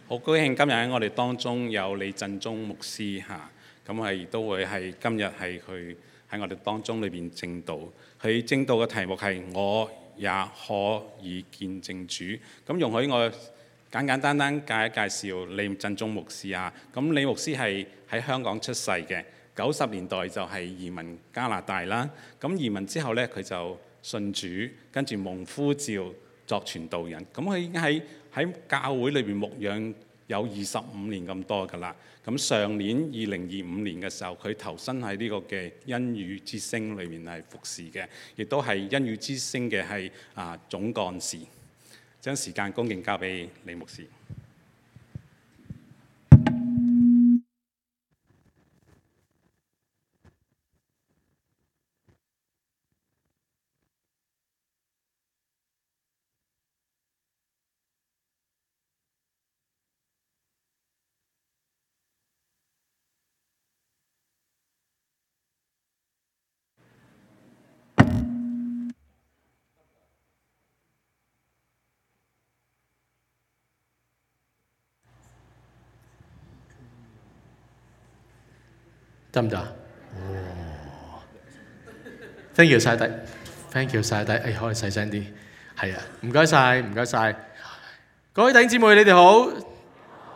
好高興今日喺我哋當中有李振中牧師嚇，咁係都會係今日係佢喺我哋當中裏邊證道。佢證道嘅題目係我也可以見證主。咁容許我簡單介紹李振中牧師啊。咁李牧師係喺香港出世嘅，90年代就係移民加拿大啦。咁移民之後呢，佢就信主，跟住蒙呼召作傳道人。咁佢已經喺教會裏邊牧養有25年咁多㗎啦。咁上年2025年嘅時候，佢投身喺呢個嘅恩雨之聲裏面係服侍嘅，亦都係恩雨之聲嘅係總幹事。將時間恭敬交俾李牧師。得唔得？Thank you 晒底 ，Thank you 晒底。可以細聲啲。係啊，唔該晒，唔該晒。各位弟兄姊妹，你哋好，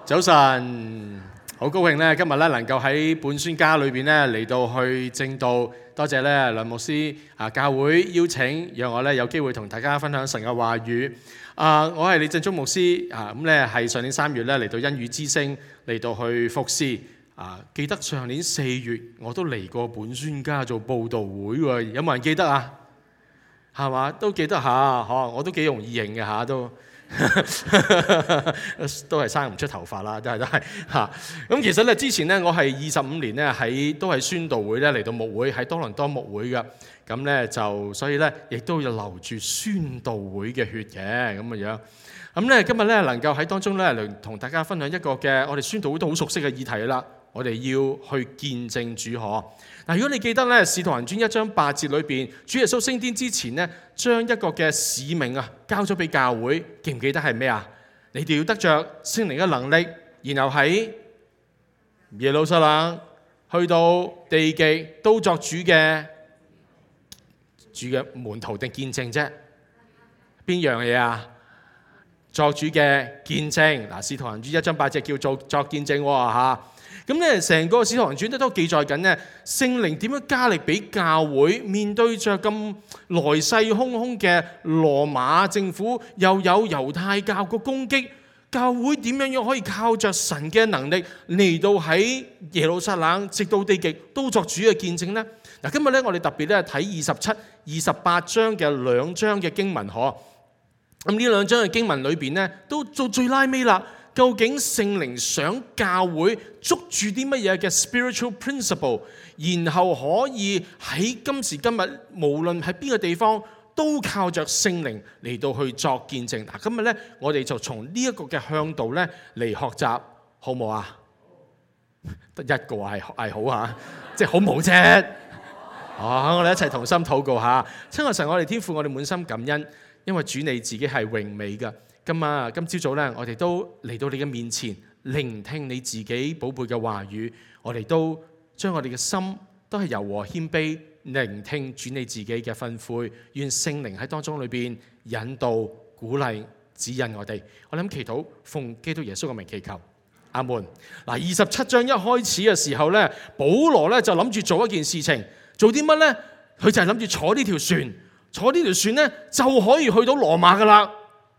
早晨。好高興咧，今日咧能夠喺本宣家裏邊咧嚟到去證道。多謝咧梁牧師教會邀請，讓我咧有機會同大家分享神嘅話語。我係李振中牧師咁咧係上年3月咧嚟到恩雨之聲嚟到去服侍。記得上年4月我都嚟過本宣家做佈道會喎，有冇人記得啊？係嘛？都記得下，我都幾容易認嘅下都，都係生唔出頭髮啦，都係嚇。咁其實咧之前咧我係25年咧都係宣道會咧嚟到牧會，喺多倫多牧會嘅。咁咧就所以咧亦都要流住宣道會嘅血嘅咁嘅樣。咁咧今日咧能夠喺當中咧嚟同大家分享一個嘅我哋宣道會都好熟悉嘅議題啦。我哋要去見證主可。嗱，如果你記得咧《使徒行傳》1章8節裏邊，主耶穌升天之前咧，將一個嘅使命交咗俾教會，記唔記得係咩啊？你哋要得着聖靈嘅能力，然後喺耶路撒冷去到地極都作主嘅門徒定見證啫？邊樣嘢啊？作主嘅見證。嗱，《使徒行傳》1章8節叫做作見證嚇。咁咧，成個《使徒行傳》都記載緊咧，聖靈點樣加力俾教會面對着咁來勢洶洶嘅羅馬政府，又有猶太教個攻擊，教會點樣可以靠着神嘅能力嚟到喺耶路撒冷直到地極都作主嘅見證呢？嗱，今日咧我哋特別咧睇27、28章嘅2章嘅經文嗬。咁呢2章嘅經文裏邊咧，都做最拉尾啦。究竟聖靈想教會捉住啲乜嘢嘅 spiritual principle， 然後可以喺今時今日無論喺邊個地方都靠着聖靈嚟到去作見證。嗱，今日咧我哋就從呢一個嘅向度咧嚟學習，好唔好啊？得一個係好嚇，即係好冇啫。我哋一齊同心禱告下。親愛神，我哋天父，我哋滿心感恩，因為主你自己係榮美嘅。今朝早咧，我哋都嚟到你嘅面前，聆聽你自己寶貝嘅話語。我哋都將我哋嘅心都係柔和謙卑，聆聽主你自己嘅吩咐。願聖靈喺當中裏邊引導、鼓勵、指引我哋。我諗祈禱，奉基督耶穌嘅名祈求，阿門。嗱，27章一開始嘅時候咧，保羅咧就諗住做一件事情，做啲乜咧？佢就係諗住坐呢條船，坐呢條船咧就可以去到羅馬噶啦。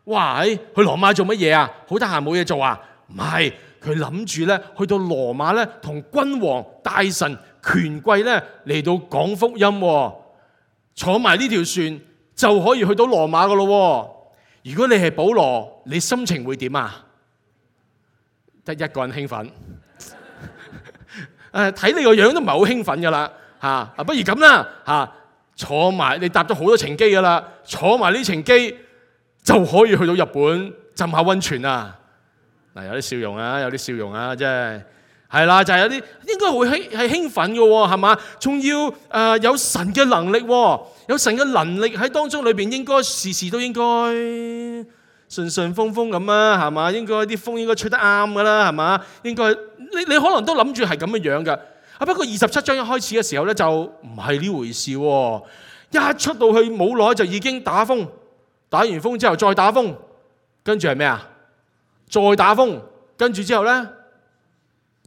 哇！去羅馬做乜嘢啊？好得閒冇嘢做啊？唔係，佢諗住咧去到羅馬咧，同君王、大臣、權貴咧嚟到講福音。坐埋呢條船就可以去到羅馬噶咯。如果你係保羅，你心情會點啊？得一個人興奮。睇你個樣都唔係好興奮噶啦嚇。不如咁啦嚇，坐埋你搭咗好多程機噶啦，坐埋呢程機就可以去到日本浸下溫泉啊！嗱，有啲笑容啊，有啲笑容啊，真係啦，就係有啲應該會係興奮嘅喎，係嘛？仲要有神嘅能力喎，有神嘅能力喺當中裏邊，應該事事都應該順順風風咁啊，係嘛？應該啲風應該吹得啱噶啦，係嘛？應該你可能都諗住係咁嘅樣噶。不過27章一開始嘅時候咧，就唔係呢回事喎。一出到去冇耐就已經打風，打完風之後再打風，跟住係咩啊？再打風，跟住之後咧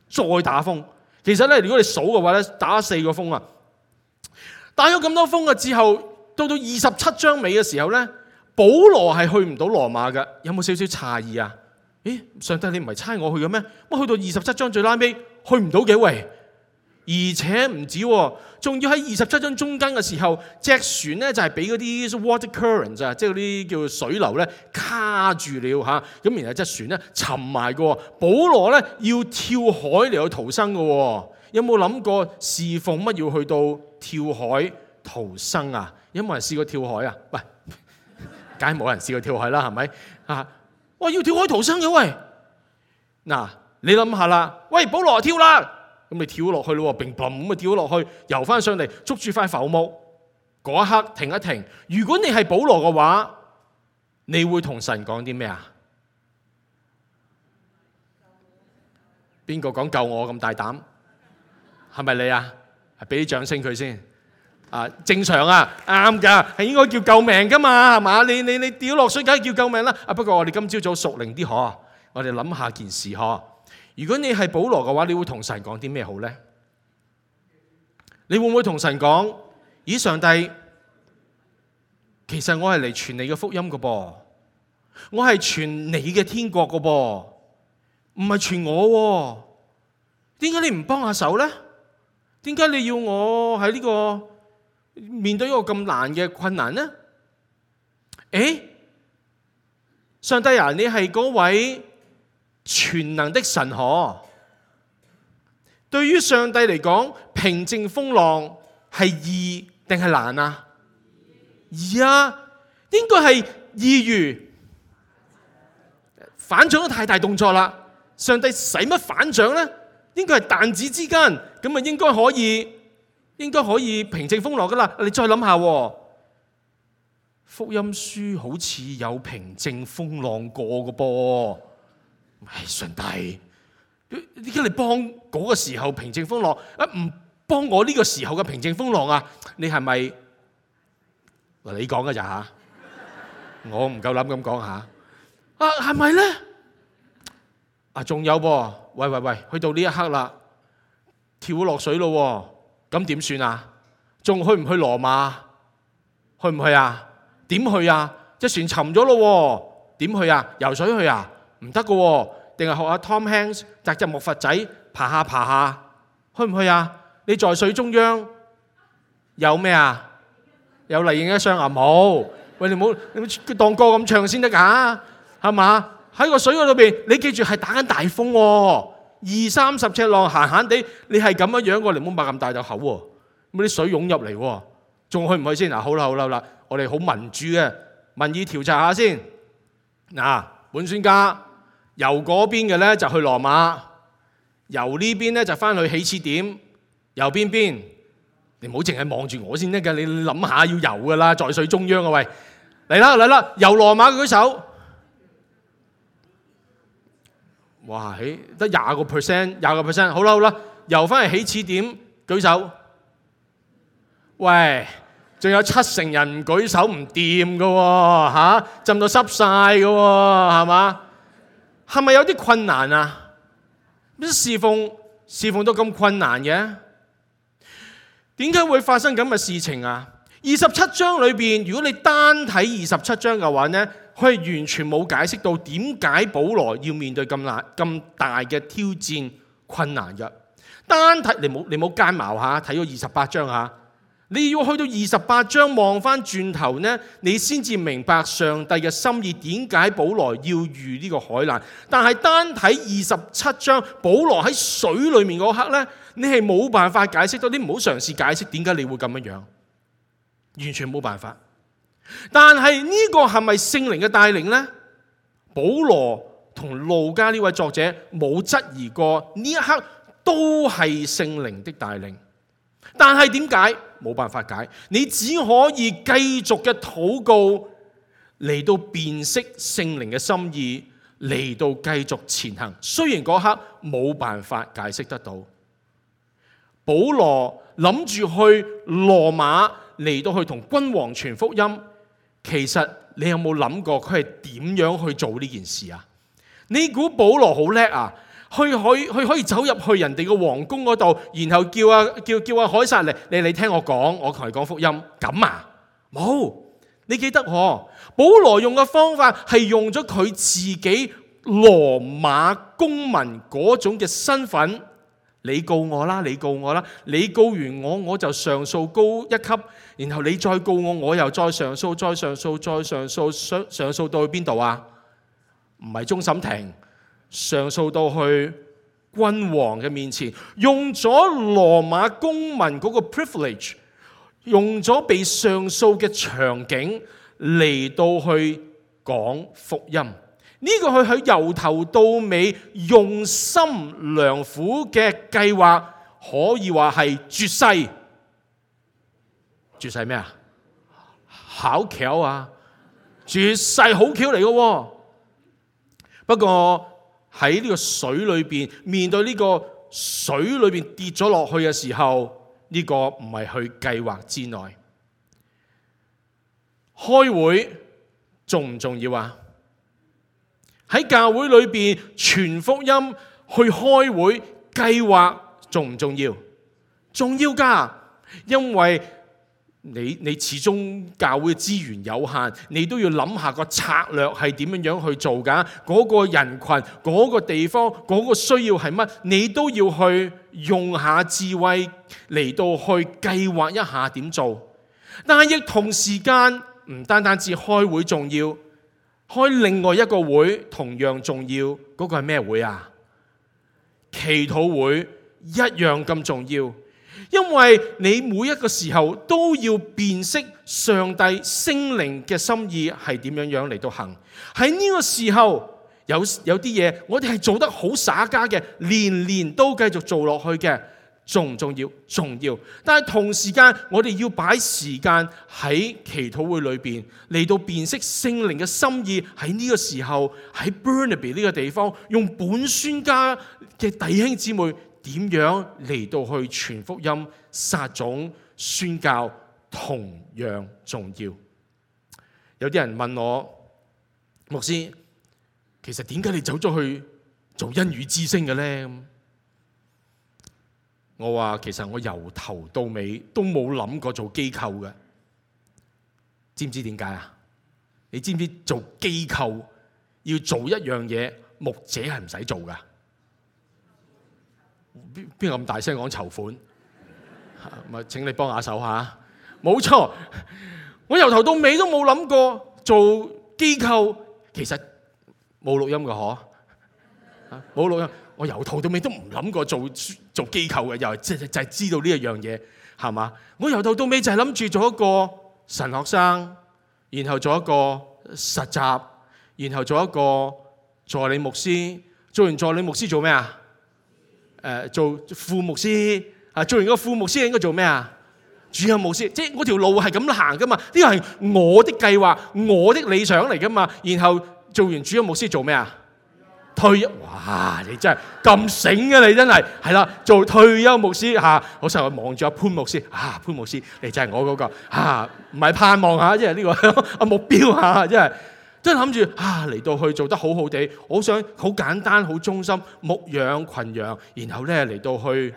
再打風。其實咧，如果你數嘅話咧，打4個風啊！打咗咁多風嘅之後，到27章尾嘅時候咧，保羅係去唔到羅馬嘅。有冇少少詫異啊？咦，上帝你唔係差我去嘅咩？乜去到27章最拉尾去唔到幾位？而且唔止喎，仲要喺27章中間嘅時候，隻船咧就係俾嗰啲 water currents 啊，即係嗰啲叫水流咧卡住了嚇。咁然後隻船咧沉埋嘅。保羅咧要跳海嚟去逃生嘅。有冇諗過侍奉乜要去到跳海逃生啊？有冇人試過跳海啊？喂，梗係冇人試過跳海啦，係咪啊？哇，要跳海逃生嘅喂！嗱，你諗下啦，喂，保羅跳啦，咁你跳落去咯，砰砰咁啊跳落去，游翻上嚟，捉住塊浮木，嗰一刻停一停。如果你係保羅嘅話，你會同神講啲咩啊？邊個講救我咁大膽？係咪你啊？俾啲掌聲佢先。啊，正常啊，啱㗎，係應該叫救命㗎嘛，係嘛？你掉落水梗係叫救命啦。不過我哋今朝早熟靈啲嗬，我哋諗下件事嗬。如果你係保羅嘅話，你會同神講啲咩好呢？你會唔會同神講：咦，上帝，其實我係嚟傳你嘅福音㗎噃，我係傳你嘅天國㗎噃，唔係傳我喎。點解你唔幫下手呢？點解你要我喺呢個面對一個咁難嘅困難呢？上帝啊，你係嗰位全能的神可。對於上帝嚟講，平靜風浪係易定係難啊？易啊，應該係易如反掌都太大動作啦。上帝使乜反掌呢？應該係彈指之間，咁啊應該可以平靜風浪噶啦。你再諗下，福音書好似有平靜風浪過嘅噃。上帝，點解你幫嗰個時候平靜風浪，唔幫我呢個時候嘅平靜風浪啊？你係咪嗱？你講嘅咋吓？我唔夠膽咁講吓。係咪咧？仲有噃，喂，去到呢一刻啦，跳落水咯，咁點算啊？仲去唔去羅馬？去唔去啊？點去啊？隻船沉咗咯，點去啊？游水去啊？唔得噶，定係學下 Tom Hanks 紮隻木筏仔爬下，去唔去啊？你在水中央有咩啊？有麗影一雙啊？冇，喂，你冇當歌咁唱先得噶，係嘛？喺個水嗰度邊，你記住係打緊大風喎，20-30尺浪，閒閒地，你係咁樣喎，你唔好擘咁大隻口喎，咁啲水湧入嚟喎，仲去唔去先？好啦，我哋好民主嘅民意調查下先。本宣家由嗰邊嘅咧就去羅馬，由呢邊咧就翻去起始點，由邊？你唔好淨係望住我先得㗎，你諗下要游㗎啦，在水中央啊喂，嚟啦，由羅馬舉手。哇！得20%，好啦，游翻去起始點舉手。喂，仲有70%人唔舉手唔掂噶喎，浸到濕晒噶喎，係嘛？係咪有啲困難啊？侍奉都咁困難嘅，點解會發生咁嘅事情啊？27章裏邊，如果你單睇27章嘅話呢，佢係完全冇解釋到點解保羅要面對咁大嘅挑戰困難嘅。單睇你冇奸茅下睇咗28章下，你要去到28章望翻轉頭呢，你先至明白上帝嘅心意，點解保羅要遇呢個海難。但係單睇27章，保羅喺水裏面嗰刻呢，你係冇辦法解釋到，你唔好嘗試解釋點解你會咁樣，完全冇辦法。但係呢個係咪聖靈嘅帶領呢？保羅同路加呢位作者冇質疑過，呢一刻都係聖靈的帶領。但係點解？冇辦法解，你只可以繼續嘅禱告，嚟到辨識聖靈嘅心意，嚟到繼續前行。雖然嗰刻冇辦法解釋得到，保羅諗住去羅馬嚟到去同君王傳福音，其實你有冇諗過佢係點樣去做呢件事啊？你估保羅好叻啊？佢可以走入去人哋嘅皇宮嗰度，然後叫阿凱撒嚟，你聽我講，我同你講福音咁啊？冇，你記得保羅用嘅方法係用咗佢自己羅馬公民嗰種嘅身份。你告我啦，你告我啦，你告完我就上訴高一級，然後你再告我又再上訴，再上訴，再上訴，上訴到去邊度啊？唔係終審庭，上訴到去君王嘅面前，用咗羅馬公民嗰個 privilege， 用咗被上訴嘅場景嚟到去講福音。呢個佢由頭到尾用心良苦嘅計劃，可以話係絕世。絕世咩啊？巧橋啊！絕世好橋嚟嘅。不過喺呢個水裏邊，面對呢個水裏邊跌咗落去嘅時候，呢個唔係佢計劃之內。開會重唔重要啊？喺教會裏邊傳福音去開會計劃重唔重要？重要㗎，因為你始終教會嘅資源有限，你都要諗下個策略係點樣去做㗎。嗰個人群、嗰個地方、嗰個需要係乜，你都要去用下智慧嚟到去計劃一下點做。但係亦同時間唔單單只開會重要。開另外一個會同樣重要，嗰個係咩會啊？祈禱會一樣咁重要，因為你每一個時候都要辨識上帝聖靈嘅心意係點樣嚟到行。喺呢個時候有啲嘢我哋係做得好耍家嘅，年都繼續做落去嘅。重唔重要？重要。但係同時間，我哋要擺時間喺祈禱會裏邊嚟到辨識聖靈嘅心意。喺呢個時候，喺 Burnaby 呢個地方，用本宣家嘅弟兄姊妹點樣嚟到去傳福音、撒種、宣教，同樣重要。有啲人問我，牧師，其實點解你走咗去做恩語之聲嘅呢？我話其實我由頭到尾都冇諗過做機構嘅，知唔知點解啊？你知唔知做機構要做一樣嘢，牧者係唔使做噶？邊個咁大聲講籌款？咪請你幫下手下。冇錯，我由頭到尾都冇諗過做機構，其實冇錄音嘅嗬，冇錄音。我由頭到尾都唔諗過做機構嘅，又就係知道呢一樣嘢，係嘛？我由頭到尾就係諗住做一個神學生，然後做一個實習，然後做一個助理牧師。做完助理牧師做咩啊？做副牧師啊！做完個副牧師應該做咩啊？主任牧師。即係我條路係咁行噶嘛？呢個係我的計劃，我的理想嚟噶嘛？然後做完主任牧師做咩啊？退休。哇！你真係咁醒嘅，你真係係啦，做退休牧師嚇。我成日望住阿潘牧師潘牧師，你真係我嗰個唔係盼望嚇，即係呢個目標嚇，真係諗住嚟到去做得好好地。我想好簡單、好忠心牧養羣羊，然後咧嚟到去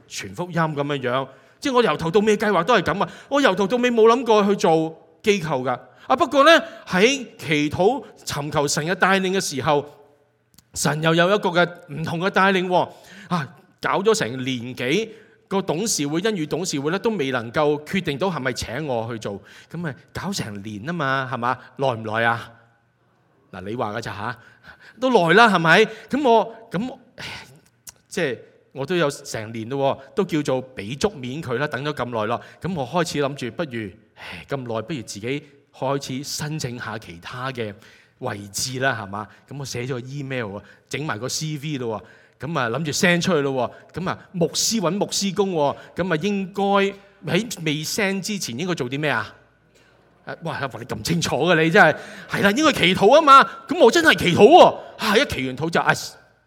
傳福音咁樣。即係我由頭到尾計劃都係咁啊！我由頭到尾冇諗過去做機構㗎。不過咧喺祈禱尋求神嘅帶領嘅時候，神又有一個嘅唔同嘅帶領搞咗成年幾個董事會、恩語董事會咧，都未能夠決定到係咪請我去做，咁咪搞成年啊嘛，係嘛？耐唔耐啊？嗱，你話㗎咋嚇？都耐啦，係咪？咁即係我都有成年咯，都叫做俾足面佢啦，等咗咁耐咯。咁我開始諗住，不如咁耐，不如自己開始申請下其他嘅位置啦，係嘛？咁我寫咗個 email， 整埋個 CV 咯，咁啊諗住 send 出去咯，咁啊牧師揾牧師工，咁啊應該喺未 send 之前應該做啲咩啊？哇！你咁清楚嘅你真係係啦，應該祈禱啊嘛。咁我真係祈禱喎，一祈完禱就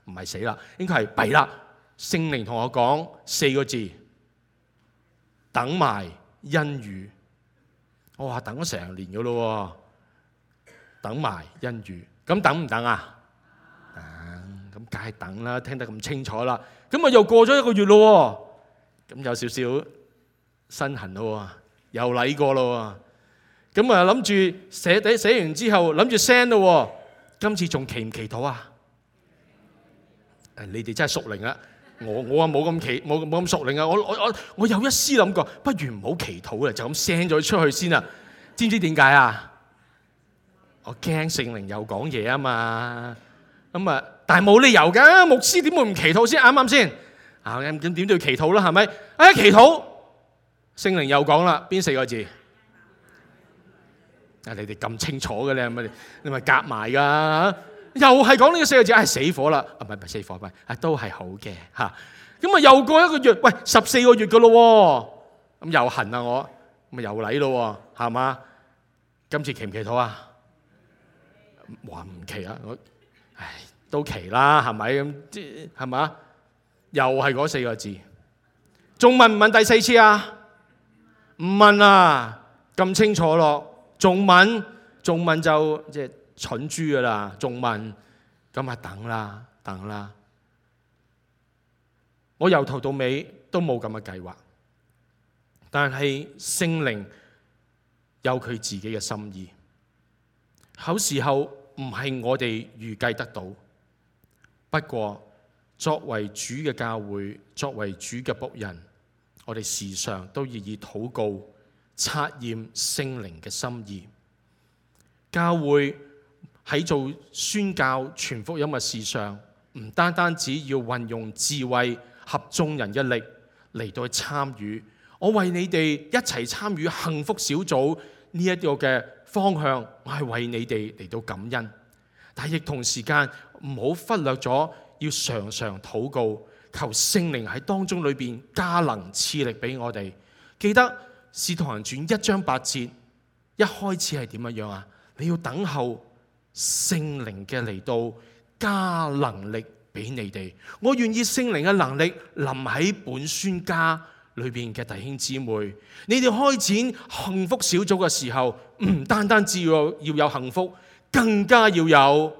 唔係死啦，應該係弊啦。聖靈同我講4個字：等埋恩雨。我話等咗成年嘅咯，等埋恩雨。咁等唔等啊？咁梗係等啦，聽得咁清楚啦。咁啊又過咗1個月咯，咁有少少身痕咯，又嚟過咯。咁啊諗住寫完之後諗住 send 咯，今次仲祈唔祈禱啊？你哋真係屬靈啊！我啊冇咁屬靈啊！我有一絲諗過，不如唔好祈禱啦，就咁 send 咗出去先啦。知唔知點解啊？我驚聖靈又講嘢啊嘛。咁啊，但係冇理由㗎，牧師點會唔祈禱先？啱啱先？咁點都要祈禱啦，係咪？祈禱，聖靈又講啦，邊4個字？你哋咁清楚嘅咧，你咪夾埋㗎，又係講呢個4個字，死火啦！唔係死火，唔係，都係好嘅嚇。咁啊，又過1個月，喂，14個月㗎咯喎，咁又痕啊我，咁啊又嚟咯喎，係嘛？今次祈唔祈禱啊？話唔祈啊，都祈啦，係咪咁？係嘛？又係嗰4個字，仲問唔問第4次啊？唔問啊，咁清楚咯。仲問就即係蠢豬噶啦，仲問，咁啊等啦。我由頭到尾都冇咁嘅計劃，但係聖靈有佢自己嘅心意，有時候唔係我哋預計得到。不過作為主嘅教會，作為主嘅僕人，我哋時常都要以禱告察驗聖靈嘅心意。教會喺做宣教傳福音嘅事上，唔單單只要運用智慧合眾人嘅力嚟到去參與。我為你哋一齊參與幸福小組呢一個嘅方向，我係為你哋嚟到感恩。但係亦同時間唔好忽略咗要常常禱告，求聖靈喺當中裏邊加能賜力俾我哋。記得使徒行傳1章8節一開始係點樣啊？你要等候聖靈嘅嚟到加能力俾你哋。我願意聖靈嘅能力臨喺本宣家裏邊嘅弟兄姊妹，你哋開展幸福小組嘅時候，唔單單只要有幸福，更加要有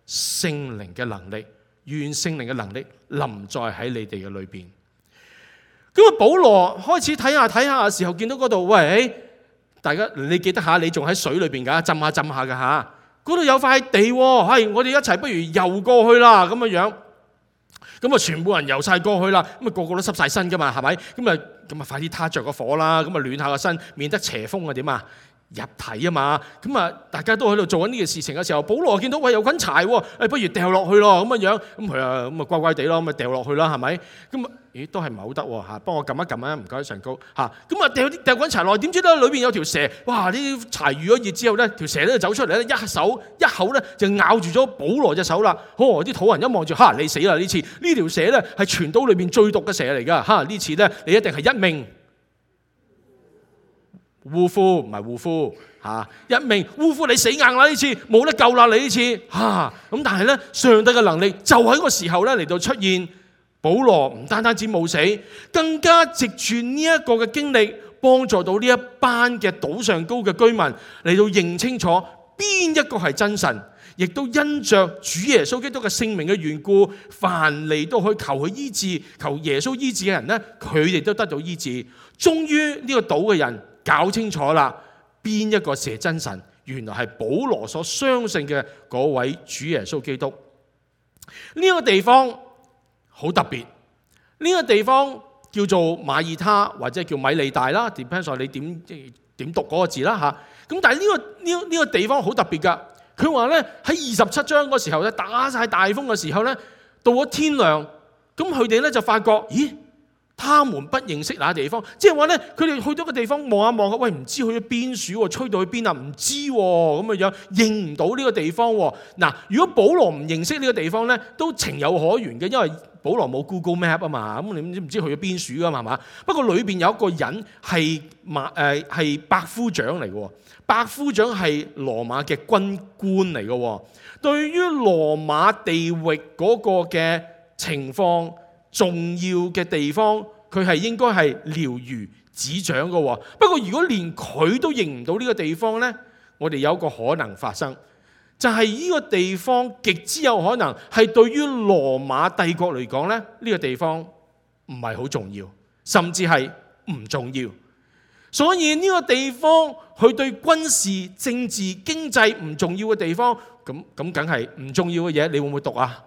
聖靈嘅能力。願聖靈嘅能力臨在喺你哋嘅裏邊。咁啊，保羅開始睇下嘅時候，見到嗰度，喂，大家你記得下，你仲喺水裏邊噶，浸下噶吓。嗰度有塊地，係我哋一齊不如游過去啦，咁樣。咁啊，全部人游晒過去啦，咁啊個個都濕晒身噶嘛，係咪？咁啊快啲撻着個火啦，咁啊暖下個身，免得邪風啊點啊入體啊嘛。咁啊大家都喺度做緊呢件事情嘅時候，保羅見到喂有滾柴喎，不如掉落去咯，咁樣。咁佢啊咁啊乖乖地咯，咁啊掉落去啦，係咪？咁啊咦都係唔係好得喎嚇？幫我撳一撳啊，唔該上高嚇。咁啊掉滾柴落，點知咧裏邊有條蛇，哇！呢啲柴遇咗熱之後咧，條蛇咧就走出嚟咧，一口咧就咬住咗保羅隻手啦。啲土人一望住，嚇你死啦！呢次呢條蛇咧係全島裏邊最毒嘅蛇嚟㗎，嚇呢次咧你一定係一命嗚呼，唔係護膚嚇，一命嗚呼你死硬啦！呢次冇得救啦！你呢次嚇咁，但係咧上帝嘅能力就喺個時候咧嚟到出現。保羅唔單止冇死，更加藉住呢一個嘅經歷，幫助到呢一班嘅島上高嘅居民嚟到認清楚邊一個係真神，亦都因着主耶穌基督嘅聖名嘅緣故，凡嚟到去求佢醫治、求耶穌醫治嘅人呢，佢哋都得到醫治。終於呢個島嘅人搞清楚啦，邊一個係真神？原來係保羅所相信嘅嗰位主耶穌基督。呢個地方好特別，呢個地方叫做馬耳他或者叫米利大啦 ，depends on 你點讀嗰個字啦嚇。咁但係呢個地方好特別㗎。佢話咧喺27章嗰時候咧，打晒大風嘅時候咧，到咗天亮，咁佢哋咧就發覺，咦，他們不認識那地方，即係話咧，佢哋去到個地方望一望，喂，唔知去咗邊處喎，吹到去邊啊？唔知喎，咁嘅樣認唔到呢個地方喎。嗱，如果保羅唔認識呢個地方咧，都情有可原嘅，因為保羅冇 Google Map 啊嘛，咁你唔知去咗邊處噶嘛，係嘛？不過裏邊有一個人係百夫長嚟嘅，百夫長係羅馬嘅軍官嚟嘅，對於羅馬地域嗰個嘅情況，重要嘅地方，佢係應該係了如指掌嘅。不過如果連佢都認唔到呢個地方呢，我哋有一個可能發生，就係呢個地方極之有可能係對於羅馬帝國嚟講呢，呢個地方唔係好重要，甚至係唔重要。所以呢個地方佢對軍事、政治、經濟唔重要嘅地方，咁梗係唔重要嘅嘢，你會唔會讀啊？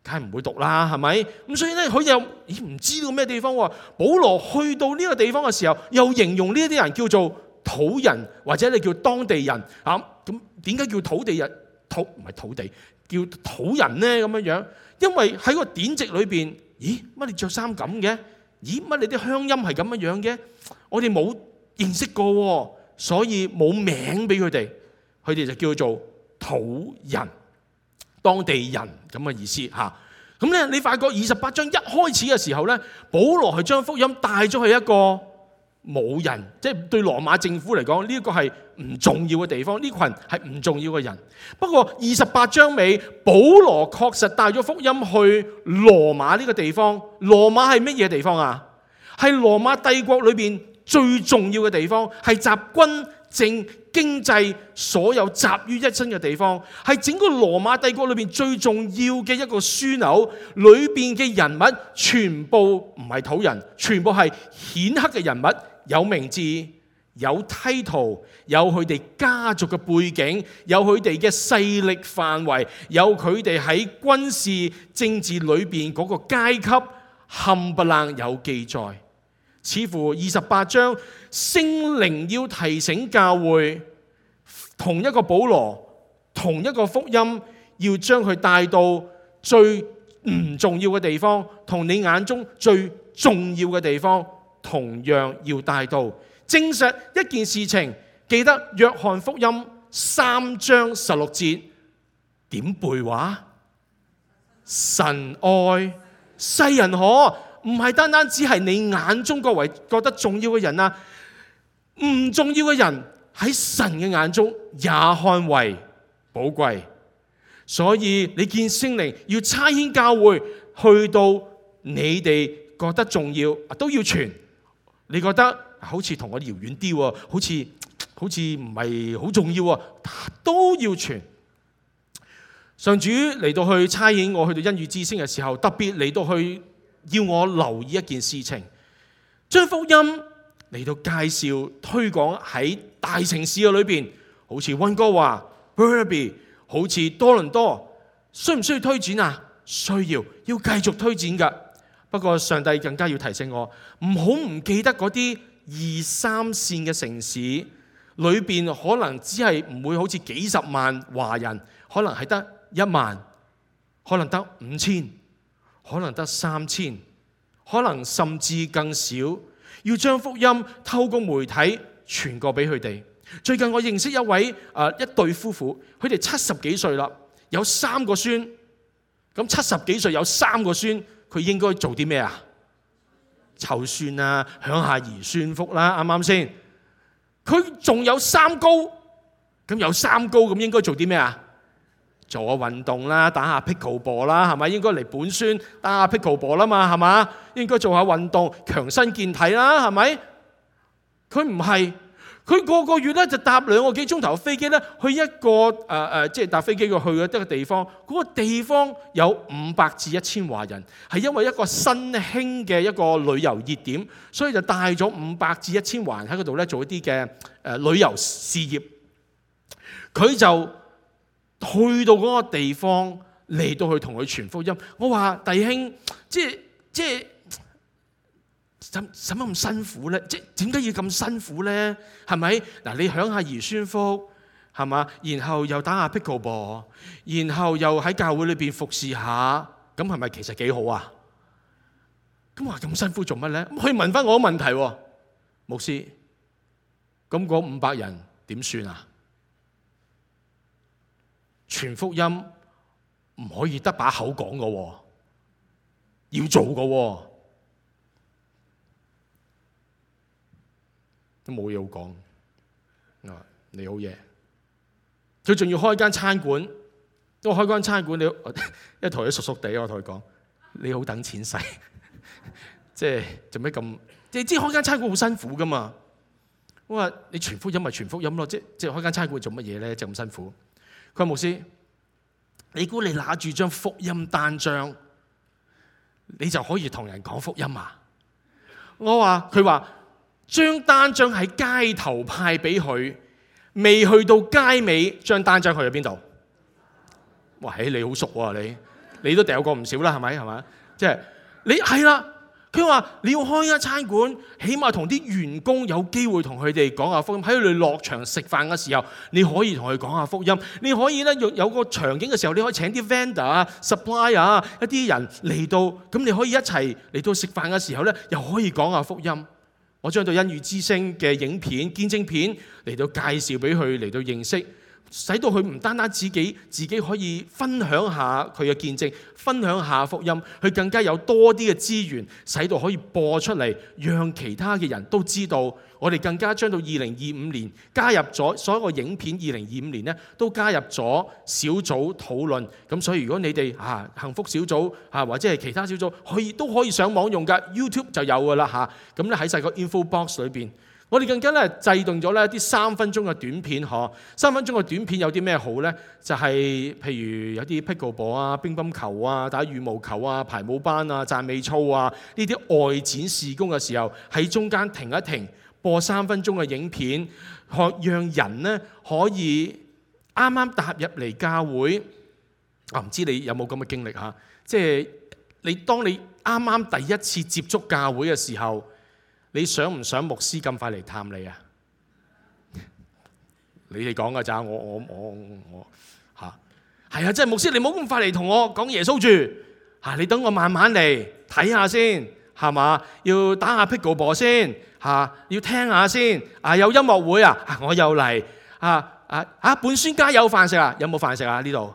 梗係唔會讀啦，係咪？咁所以咧，佢又唔知道咩地方喎。保羅去到呢個地方嘅時候，又形容呢啲人叫做土人，或者你叫當地人啊。咁點解叫土地人？唔係土地，叫土人呢？咁樣樣，因為喺個典籍裏邊，咦？乜你着衫咁嘅？咦？乜你啲鄉音係咁樣樣嘅？我哋冇認識過，所以冇名俾佢哋，佢哋就叫做土人。當地人咁嘅意思嚇，咁咧你發覺28章一開始嘅時候咧，保羅係將福音帶咗去一個冇人，即係對羅馬政府嚟講呢一個係唔重要嘅地方，呢群係唔重要嘅人。不過28章尾，保羅確實帶咗福音去羅馬呢個地方。羅馬係乜嘢地方啊？係羅馬帝國裏邊最重要嘅地方，係集軍政經濟所有集於一身嘅地方，係整個羅馬帝國裏邊最重要嘅一個樞紐。裏邊嘅人物全部唔係土人，全部係顯赫嘅人物，有名字，有 title， 有佢哋家族嘅背景，有佢哋嘅勢力範圍，有佢哋喺軍事政治裏邊嗰個階級，冚唪唥有記載。似乎28章聖靈要提醒教會，同一個保羅，同一個福音，要將佢帶到最唔重要嘅地方，同你眼中最重要嘅地方，同樣要帶到。證實一件事情，記得約翰福音3章16節點背話？神愛世人可。唔係單單只係你眼中各位覺得重要嘅人啊，唔重要嘅人喺神嘅眼中也看為寶貴。所以你見聖靈要差遣教會去到你哋覺得重要都要傳，你覺得好似同我遙遠啲喎，好似唔係好重要喎，都要傳。上主嚟到去差遣我去到恩雨之聲嘅時候，特別嚟到去要我留意一件事情，將福音嚟到介紹推廣喺大城市嘅裏邊，好似溫哥華、Burnaby， 好似多倫多，需唔需要推展啊？需要繼續推展㗎。不過上帝更加要提醒我，唔好唔記得嗰啲2、3線嘅城市裏邊，可能只係唔會好似幾十萬華人，可能係得1萬，可能得5000。可能得3000，可能甚至更少，要將福音透過媒體傳過俾佢哋。最近我認識一對夫婦，佢哋70幾歲啦，有3個孫。咁70幾歲有3個孫，佢應該做啲咩啊？湊孫啊，享下兒孫福啦，啱唔啱先？佢仲有3高，咁有3高，咁應該做啲咩啊？做下運動啦，打下 pickleball 啦，係咪？應該嚟本孫打下 pickleball 啦嘛，係嘛？應該做下運動，強身健體啦，係咪？佢唔係，佢個個月咧就搭2個幾鐘頭飛機咧，去一個即係搭飛機去一個地方。嗰個地方有500至1000華人，係因為一個新興嘅一個旅遊熱點，所以就帶咗500至1000華人喺嗰度咧做一啲嘅旅遊事業。佢就去到嗰個地方嚟到去同佢傳福音。我話弟兄，即係使乜咁辛苦咧？即係點解要咁辛苦咧？係咪？嗱，你享下兒孫福係嘛？然後又打下 pickleball， 然後又喺教會裏邊服侍下，咁係咪其實幾好啊？咁話咁辛苦做乜咧？咁可以問翻我個問題喎，牧師，咁嗰500人點算啊？傳福音唔可以得把口講嘅喎，要做嘅喎，都冇嘢好講。你好嘢，佢仲要開間餐館。我開間餐館，一同佢熟熟地，我同佢講：你好等錢使，即係做咩咁？你知開間餐館好辛苦噶嘛？我話你傳福音咪傳福音咯，即係開間餐館做乜嘢咧？就咁辛苦。佢話牧師，你估你拿住張福音單張，你就可以同人講福音啊？佢話張單張喺街頭派俾佢，未去到街尾，張單張去咗邊度？哇！你好熟喎，你都掉過唔少啦，係咪？係嘛？即係你係啦。佢話你要開間餐館，起碼同啲員工有機會同佢哋講下福音。喺佢哋落場食飯嘅時候，你可以同佢講下福音。你可以咧有個場景嘅時候，你可以請啲 vendor 啊、supplier 啊一啲人嚟到，咁你可以一齊嚟到食飯嘅時候咧，又可以講下福音。我將到恩語之聲嘅影片、見證片嚟到介紹俾佢嚟到認識。使到佢唔單單自己可以分享下佢嘅見證，分享下福音，佢更加有多啲嘅資源，使到可以播出嚟，讓其他嘅人都知道。我哋更加將到2025年加入咗所有個影片，2025年咧都加入咗小組討論。咁所以如果你哋幸福小組或者係其他小組都可以上網用㗎 ，YouTube 就有㗎啦嚇。咁咧喺細個 info box 裏邊。我哋更加咧制定咗咧一啲3分鐘嘅短片，3分鐘嘅短片有啲咩好咧？就係譬如有啲 pickleball 啊、乒乓球啊、打羽毛球啊、排舞班啊、讚美操啊，呢啲外展事工嘅時候，喺中間停一停，播3分鐘嘅影片，讓人咧可以啱啱踏入嚟教會。唔知你有冇咁嘅經歷嚇？即係當你啱啱第一次接觸教會嘅時候。你想唔想牧師咁快嚟探你啊？你哋講㗎咋？我係啊！即係牧師，你唔好咁快嚟同我講耶穌住嚇，你等我慢慢嚟睇下先，係嘛？要打下 pickleball 先嚇，要聽下先有音樂會啊！我又嚟本宣家有飯食啊？有冇飯食啊？呢度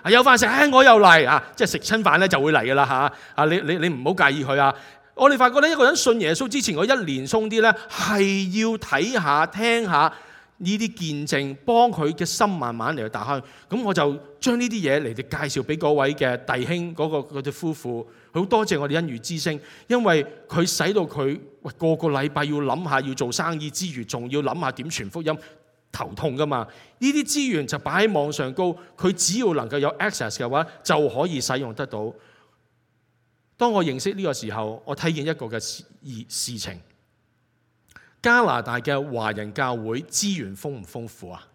有飯食，我又嚟即係食親飯咧就會嚟㗎啦嚇！你唔好介意佢啊！我哋發覺咧，一個人信耶穌之前，我1年鬆啲咧，係要睇下、聽下呢啲見證，幫佢嘅心慢慢嚟打開。咁我就將呢啲嘢嚟介紹俾嗰位嘅弟兄，嗰對夫婦。好多謝我哋恩語之聲，因為佢使到佢個個禮拜要諗下要做生意之餘，仲要諗下點傳福音，頭痛噶嘛。呢啲資源就擺喺網上高，佢只要能夠有 access 嘅話，就可以使用得到。當我認識呢個時候，我睇見一個嘅事情。加拿大嘅華人教會資源豐唔豐富啊？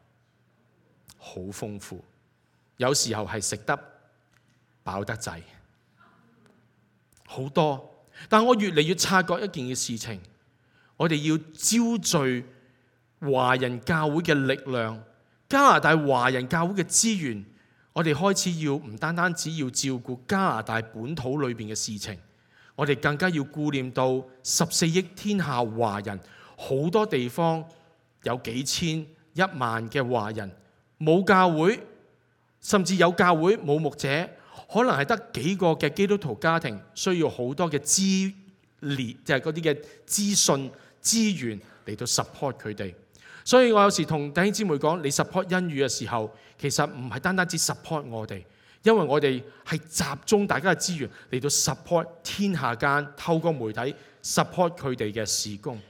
好豐富，有時候係食得飽得滯，好多。但我越嚟越察覺一件嘅事情，我哋要招聚華人教會嘅力量，加拿大華人教會嘅資源。我哋開始要唔單單只要照顧加拿大本土裏邊嘅事情，我哋更加要顧念到14億天下華人，好多地方有幾千、1萬嘅華人，冇教會，甚至有教會冇牧者，可能係得幾個嘅基督徒家庭，需要好多嘅資源，就係嗰啲嘅資訊資源嚟到 support 佢哋。所以我有時同弟兄姊妹講，你 support 恩語嘅時候，其實唔係單單只 support 我哋，因為我哋係集中大家嘅資源嚟到 support 天下間，透過媒體 support 佢哋嘅事工。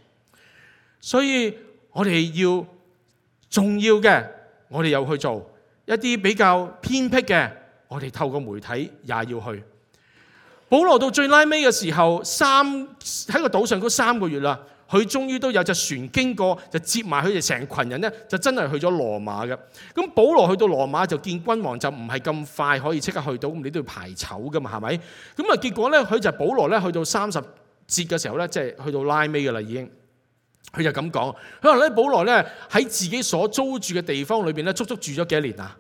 所以我哋要重要嘅，我哋又去做；一啲比較偏僻嘅，我哋透過媒體也要去。保羅到最拉尾嘅時候，喺個島上嗰3個月啦。佢終於都有隻船經過，就接埋佢哋成群人咧，就真係去咗羅馬嘅。咁保羅去到羅馬就見君王，就唔係咁快可以即刻去到，咁你都要排籌噶嘛，係咪？咁啊結果咧，佢就保羅咧去到30節嘅時候咧，即係去到拉尾嘅啦已經。佢就咁講，佢話咧保羅咧喺自己所租住嘅地方裏邊咧，足足住咗幾多年啊？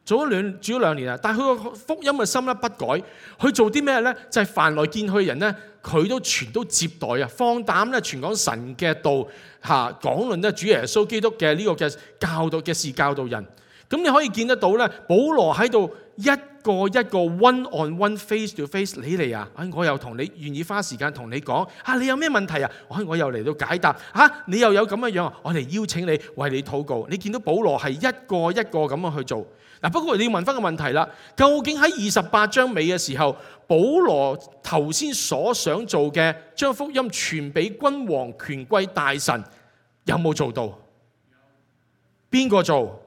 做咗兩年啦，但係佢個福音嘅心咧不改，佢做啲咩咧？就係凡來見佢嘅人咧，佢都全都接待啊，放膽咧傳講神嘅道嚇，講論咧主耶穌基督嘅呢個嘅教導嘅事教導人。咁你可以見得到咧，保羅喺度一個 one on one face to face， 你嚟啊！我又同你願意花時間同你講你有咩問題啊？我又嚟到解答你又有咁嘅樣，我嚟邀請你為你禱告。你見到保羅係一個一個咁樣去做。不過你要問翻個問題啦，究竟喺28章尾嘅時候，保羅頭先所想做嘅將福音傳俾君王、權貴、大臣，有冇做到？邊個做？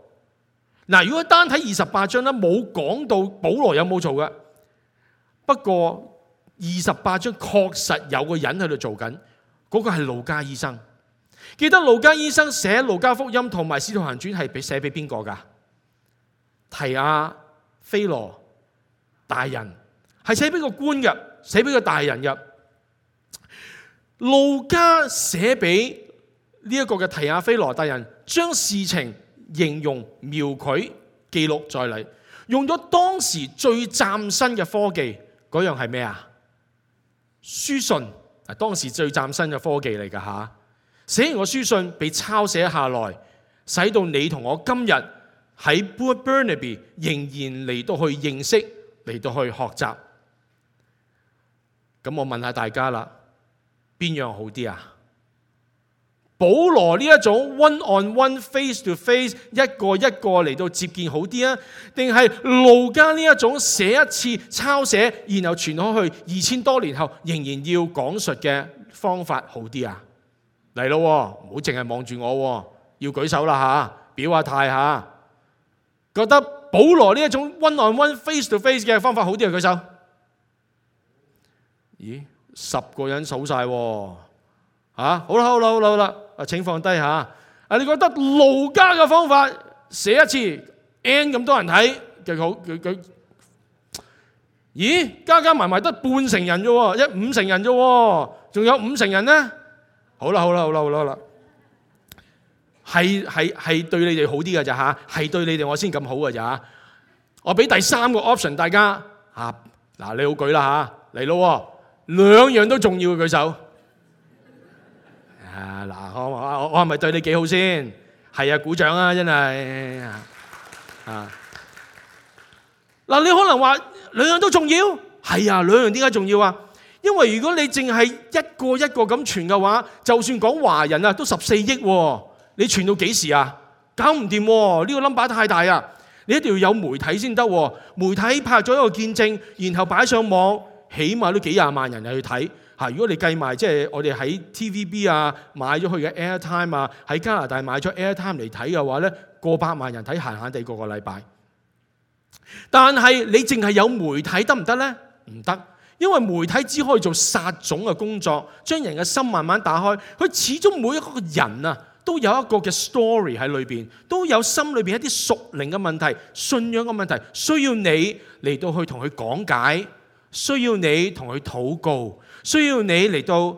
嗱，如果單睇28章咧，冇講到保羅有冇做嘅。不過28章確實有個人喺度做緊，嗰個係路加醫生。記得路加醫生寫路加福音同埋使徒行傳係寫俾邊個㗎？提亞非羅大人，係寫俾個官嘅，寫俾個大人嘅。路加寫俾呢一個嘅提亞非羅大人，將事情形容描繪記錄在嚟，用咗當時最嶄新嘅科技，嗰樣係咩啊？書信，當時最嶄新嘅科技嚟㗎嚇。寫完個書信被抄寫下來，使到你同我今日喺 Burnaby 仍然嚟到去認識，嚟到去學習。咁我問下大家啦，邊樣好啲啊？保羅呢一種 one on one face to face 一個一個嚟到接見好啲啊，定係路加呢一種寫一次抄寫，然後傳開去2000多年後仍然要講述嘅方法好啲啊？嚟咯，唔好淨係望住我，要舉手啦嚇，表下態嚇。覺得保羅呢一種 one on one face to face 嘅方法好啲啊？舉手。咦，10個人數晒喎。好啦，請放低嚇。你覺得路加嘅方法寫一次 N 咁多人睇嘅好？佢咦，加埋埋得半成人啫喎，5成人啫喎，仲有5成人呢？好啦，係對你哋好啲㗎咋嚇，係對你哋我先咁好㗎咋。我俾第3個 option 大家嚇，嗱你好舉啦嚇，嚟咯，2樣都重要嘅舉手。嗱，我係咪對你幾好先？係啊，鼓掌啊，真係嗱，你可能話2樣都重要，係啊，2樣點解重要啊？因為如果你淨係一個一個咁傳嘅話，就算講華人啊，都14億喎，你傳到幾時啊？搞唔掂喎，呢個 number 太大啊！你一定要有媒體先得喎，媒體拍咗一個見證，然後擺上網，起碼都幾廿萬人去睇。如果你計埋即係我哋喺 TVB 啊買咗佢嘅 airtime 啊，喺加拿大買咗 airtime 嚟睇嘅話咧，過百萬人睇閒閒地個禮拜。但係你淨係有媒體得唔得咧？唔得，因為媒體只可以做撒種嘅工作，將人嘅心慢慢打開。佢始終每一個人啊，都有一個嘅 story 喺裏邊，都有心裏邊一啲屬靈嘅問題、信仰嘅問題，需要你嚟到去同佢講解，需要你同佢禱告。需要你嚟到，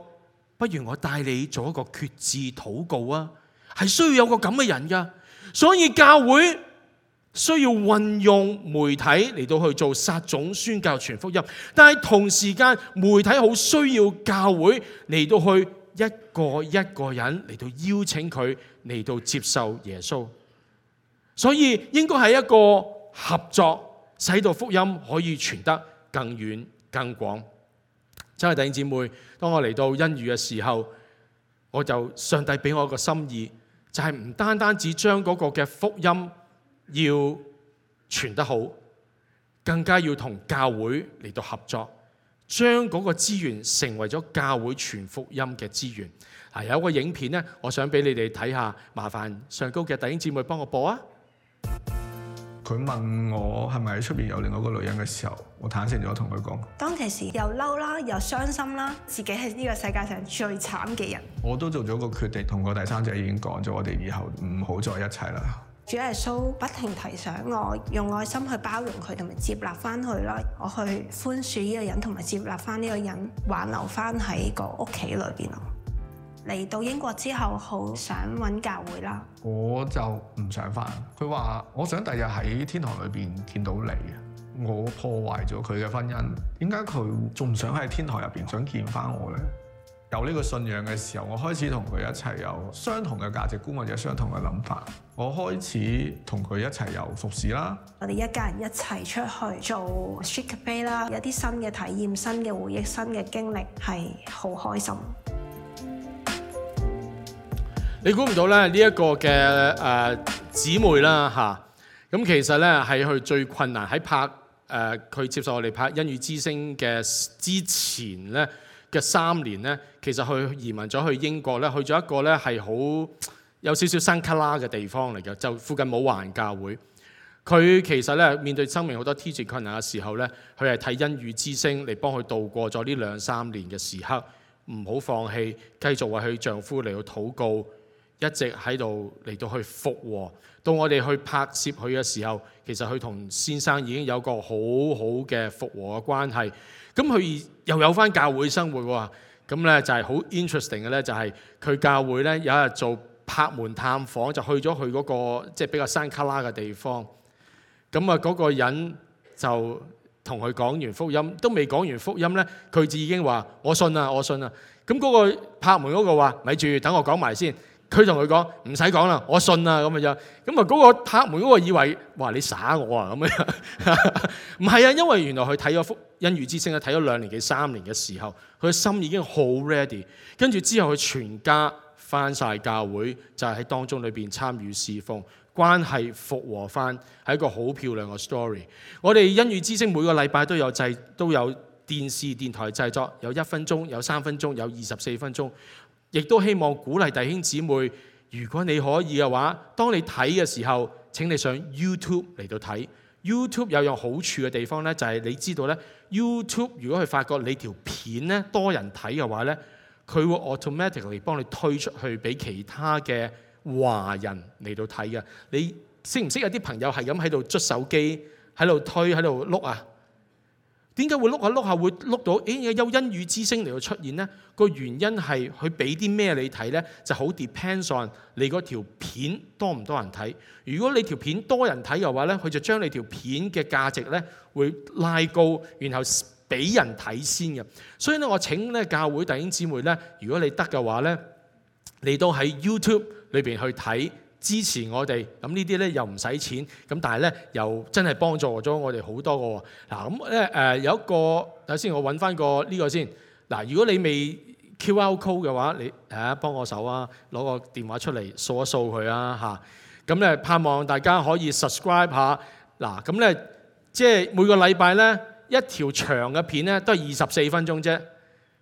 不如我帶你做一個決志禱告啊！係需要有個咁嘅人噶，所以教會需要運用媒體嚟到去做撒種、宣教、傳福音。但係同時間，媒體好需要教會嚟到去一個一個人嚟到邀請佢嚟到接受耶穌。所以應該係一個合作，使到福音可以傳得更遠、更廣。真係弟兄姊妹，當我嚟到恩語嘅時候，我就上帝俾我一個心意，就係唔單單只將嗰個嘅福音要傳得好，更加要同教會嚟到合作，將嗰個資源成為咗教會傳福音嘅資源。有一個影片呢，我想俾你哋睇下，麻煩上高嘅弟兄姊妹幫我播啊！佢問我係咪喺出邊有另外一個女人嘅時候，我坦誠咗同佢講，當其時又嬲啦，又傷心啦，自己係呢個世界上最慘嘅人。我都做咗個決定，同個第三者已經講咗，我哋以後唔好再一齊啦。主耶穌不停提醒我，用愛心去包容佢，同埋接納翻佢啦。我去寬恕呢個人，同埋接納翻呢個人，挽留翻喺個屋企裏邊咯。嚟到英國之後，好想揾教會啦。我就唔想返。佢話：我想第日喺天堂裏邊見到你。我破壞咗佢嘅婚姻，點解佢仲唔想喺天堂入邊想見返我呢？有呢個信仰嘅時候，我開始同佢一齊有相同嘅價值觀或者相同嘅諗法。我開始同佢一齊有服侍啦。我哋一家人一齊出去做 Street Cafe 啦，有啲新嘅體驗、新嘅回憶、新嘅經歷，係好開心。你估唔到咧呢一個嘅姊妹啦嚇，咁其實咧係佢最困難喺拍佢接受我哋拍《恩語之聲》嘅之前咧嘅3年咧，其實佢移民咗去英國咧，去咗一個咧係好有少少山卡拉嘅地方嚟嘅，就附近冇華人教會。佢其實咧面對生命好多挑戰困難嘅時候咧，佢係睇《恩語之聲》嚟幫佢度過咗呢2-3年嘅時刻，唔好放棄，繼續為佢丈夫嚟到禱告。一直喺度嚟到去復和，到我哋去拍攝佢嘅時候，其實佢同先生已經有個好好嘅復和嘅關係。咁佢又有返教會生活喎。咁咧就係好 interesting 嘅咧，就係佢教會咧有一日做拍門探訪，就去咗佢嗰個即係比較山卡拉嘅地方。咁啊嗰個人就同佢講完福音，都未講完福音咧，佢就已經話：我信啊，我信啊。咁嗰個拍門嗰個話：咪住，等我講埋先。佢同佢講唔使講啦，我信啊咁樣。咁啊嗰個拍門嗰個以為哇你耍我啊咁樣，唔係啊，因為原來佢睇咗福恩語之聲咧，睇咗2年幾3年嘅時候，佢嘅心已經好 ready。跟住之後佢全家翻晒教會，就係喺當中裏邊參與侍奉，關係復和翻，係一個好漂亮嘅 story。我哋恩語之聲每個禮拜都有電視電台製作，有1分鐘，有3分鐘，有24分鐘。亦都希望鼓勵弟兄姊妹，如果你可以嘅話，當你睇嘅時候，請你上 YouTube 嚟到睇。YouTube 有樣好處嘅地方呢，就係你知道呢 YouTube 如果佢發覺你條片呢多人睇嘅話呢，佢會 automatically 幫你推出去俾其他嘅華人嚟到睇嘅。你識唔識有啲朋友係咁喺度捽手機，喺度推，喺度碌啊？點解會碌下碌下會碌到？有恩語之聲嚟到出現呢？個原因係佢俾啲咩你睇呢？就好 depends on 你嗰條片多唔多人睇。如果你條片多人睇嘅話呢，佢就將你條片嘅價值呢會拉高，然後俾人睇先嘅。所以呢，我請呢教會弟兄姊妹呢，如果你得嘅話呢，你都喺 YouTube 裏邊去睇。支持我哋，咁呢啲咧又唔使錢，咁但係咧又真係幫助咗我哋好多個喎。嗱咁咧有一個，首先我揾翻個呢個先。嗱，如果你未 QR code 嘅話，你幫我手啊，攞個電話出嚟掃一掃佢啊嚇。咁咧盼望大家可以 subscribe 下。嗱咁咧即係每個禮拜咧一條長嘅片咧都係24分鐘啫。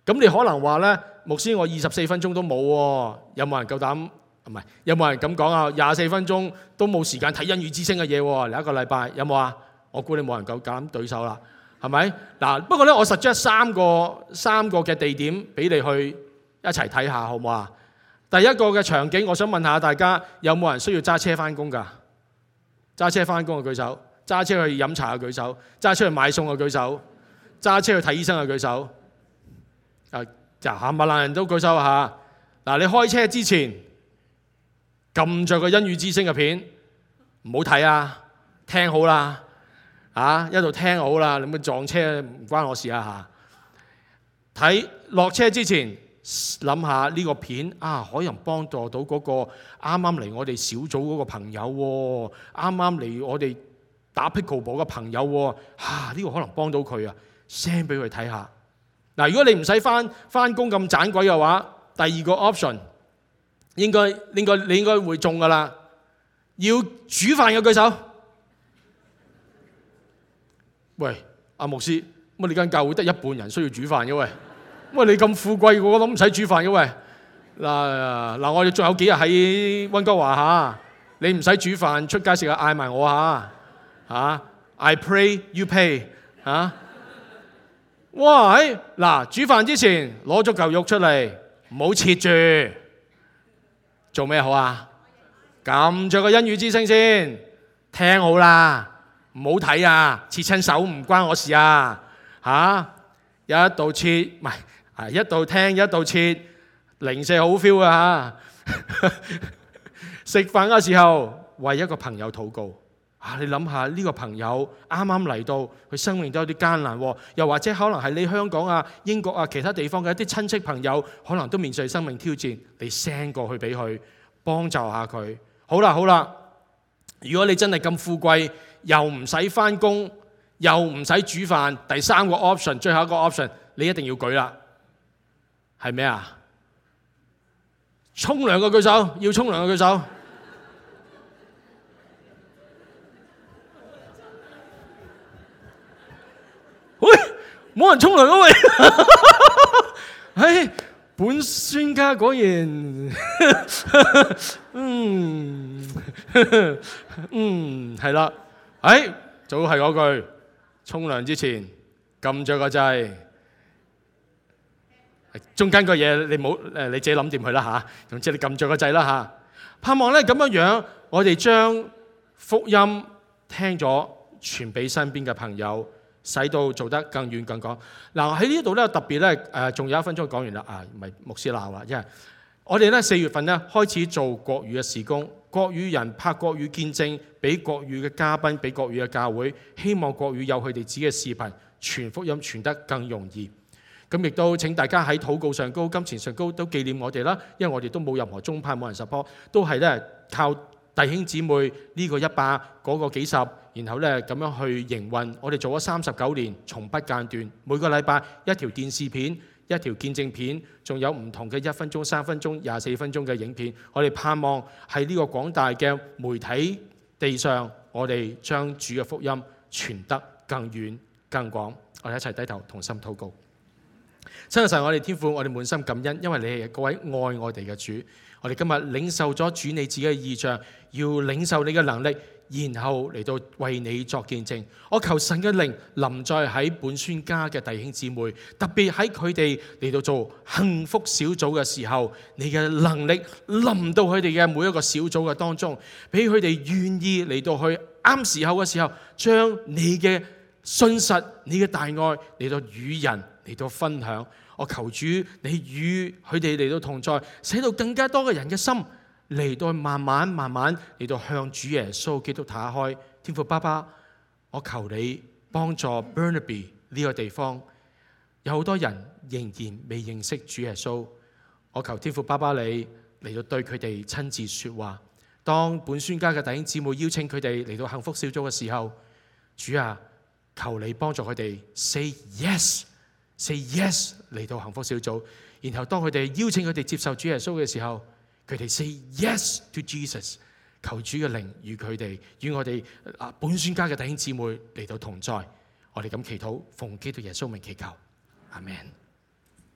咁你可能話咧，牧師我24分鐘都冇喎，有冇人夠膽？唔係，有冇人咁講啊？24分鐘都冇時間睇恩語之聲嘅嘢喎，嚟一個禮拜有冇啊？我估你冇人夠膽對手啦，係咪？嗱，不過咧，我 suggest 3個嘅地點俾你去一齊睇下，好唔好啊？第一個嘅場景，我想問下大家，有冇人需要揸車翻工㗎？揸車翻工嘅舉手，揸車去飲茶嘅舉手，揸車去買餸嘅舉手，揸車去睇醫生嘅舉手。就冚唪唥人都舉手下。嗱，你開車之前，撳着個恩語之聲嘅片，唔好睇啊！聽好啦，一路聽好啦，你咪撞車唔關我事啊嚇！睇落車之前，諗下呢個片可能幫助到嗰個啱啱嚟我哋小組嗰個朋友喎，啱啱嚟我哋打 pickleball 嘅朋友喎，呢個可能幫到佢啊 ，send 俾佢睇下。嗱，如果你唔使翻工咁盞鬼嘅話，第二個 option。你應該會中㗎啦！要煮飯嘅舉手。喂，阿牧師，乜你間教會得1半人需要煮飯嘅喂？喂，你咁富貴，個個都唔使煮飯嘅喂？嗱，我哋仲有幾日喺溫哥華嚇，你唔使煮飯，出街食下嗌埋我嚇。I pray you pay 嚇。哇！嗱，煮飯之前攞咗嚿肉出嚟，唔好切住。做咩好啊？撳着個恩語之聲先，聽好啦，唔好睇啊！切親手唔關我事啊！一度切，唔係一度聽一度切，零舍好 feel 啊嚇！食飯嘅時候為一個朋友禱告你諗下呢個朋友啱啱嚟到，佢生命都有啲艱難喎，又或者可能係你香港啊、英國啊其他地方嘅一啲親戚朋友，可能都面對生命挑戰，你 send 過去俾佢幫助下佢。好啦，如果你真係咁富貴，又唔使返工，又唔使煮飯，第三個 option， 最後一個 option， 你一定要舉啦，係咩啊？沖涼嘅舉手，要沖涼嘅舉手。喂，冇人沖涼啊喂！本宣家果然，係啦，早係嗰句，沖涼之前撳著個掣。中間個嘢你冇你自己諗掂佢啦嚇，總之你撳著個掣啦嚇。盼望咧咁樣，我哋將福音聽咗傳俾身邊嘅朋友，使到做得更遠更廣。嗱喺呢度咧特別咧仲有1分鐘講完啦唔係牧師鬧啦，因為我哋咧4月份咧開始做國語嘅事工，國語人拍國語見證，俾國語嘅嘉賓，俾國語嘅教會，希望國語有佢哋自己嘅視頻傳福音傳得更容易。咁亦都請大家喺禱告上高、金錢上高都紀念我哋啦，因為我哋都冇任何宗派，冇人 support， 都係咧靠弟兄姊妹呢個100，嗰個幾十，然後咧咁樣去營運。我哋做咗39年，從不間斷，每個禮拜一條電視片、一條見證片，仲有唔同嘅1分鐘、3分鐘、24分鐘嘅影片。我哋盼望喺呢個廣大嘅媒體地上，我哋將主嘅福音傳得更遠更廣。我哋一齊低頭同心禱告。親愛神，我哋天父，我哋滿心感恩，因為你係嗰位愛我哋嘅主。我哋今日領受咗主你自己嘅異象，要領受你嘅能力，然後嚟到為你作見證。我求神嘅靈臨在喺本宣家嘅弟兄姊妹，特別喺佢哋嚟到做幸福小組嘅時候，你嘅能力臨到佢哋嘅每一個小組嘅當中，俾佢哋願意嚟到去啱時候嘅時候，將你嘅信實、你嘅大愛嚟到與人嚟到分享。我求主你與佢哋嚟到同在，使到更加多嘅人嘅心嚟到慢慢嚟到向主耶穌基督打開。天父爸爸，我求你幫助 Burnaby 呢個地方，有好多人仍然未認識主耶穌。我求天父爸爸你嚟到對佢哋親自說話。當本宣家嘅弟兄姊妹邀請佢哋嚟到幸福小組嘅時候，主啊，求你幫助佢哋 say yes 嚟到幸福小組。然後當佢哋邀請佢哋接受主耶穌嘅時候，佢哋 say yes to Jesus。求主嘅靈與佢哋與我哋本宣家嘅弟兄姊妹嚟到同在。我哋咁祈禱，奉基督耶穌名祈求，阿們。